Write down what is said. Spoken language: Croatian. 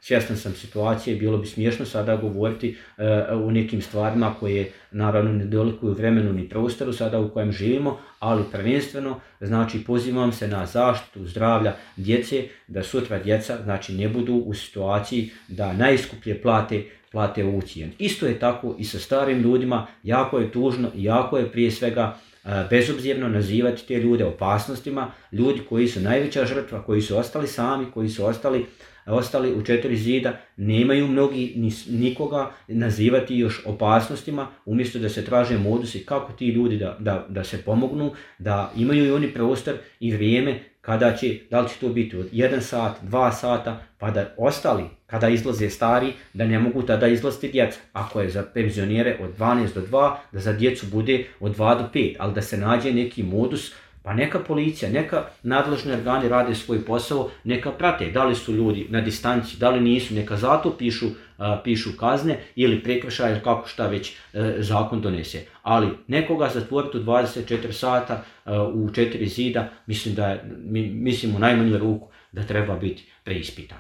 svjestan sam situacije, bilo bi smiješno sada govoriti o nekim stvarima koje naravno ne dolikuju vremenu ni prostoru sada u kojem živimo, ali prvenstveno znači pozivam se na zaštitu zdravlja djece, da sutra djeca znači ne budu u situaciji da najskuplje plate ovu cijenu. Isto je tako i sa starim ljudima, jako je tužno i jako je prije svega bezobzirno nazivati te ljude opasnostima, ljudi koji su najveća žrtva, koji su ostali sami, koji su ostali u četiri zida, nemaju mnogi nikoga nazivati još opasnostima, umjesto da se traže modusi kako ti ljudi da se pomognu, da imaju i oni prostor i vrijeme kada će, da li će to biti od 1 sat, 2 sata, pa da ostali, kada izlaze stari, da ne mogu tada izlaziti djeca. Ako je za penzionere od 12 do 2, da za djecu bude od 2 do 5, ali da se nađe neki modus, pa neka policija, neka nadležni organi rade svoj posao, neka prate da li su ljudi na distanci, da li nisu, neka zato pišu kazne ili prekršaje, kako šta već zakon donese. Ali nekoga zatvoriti u 24 sata u 4 zida, mislim u najmanju ruku da treba biti preispitan.